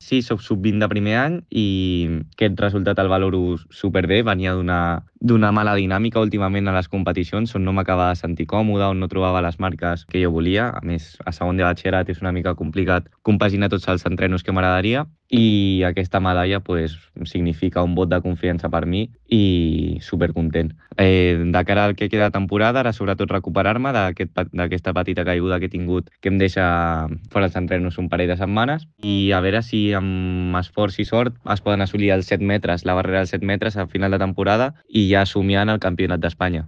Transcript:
Sí, soc sub-20 de primer any i aquest resultat el valoro superbé. Venia d'una mala dinàmica últimament a les competicions on no m'acabava de sentir còmode, on no trobava les marques que jo volia. A més, a segon de batxillerat és una mica complicat compaginar tots els entrenos que m'agradaria i aquesta medalla pues, significa un vot de confiança per mi i supercontent. De cara al que queda de temporada, ara sobretot recuperar-me d'aquesta petita caiguda que he tingut que em deixa fora els entrenos un parell de setmanes i a veure si amb esforç i sort es poden assolir els 7 metres, la barrera dels 7 metres a final de temporada i ja somiant el campionat d'Espanya.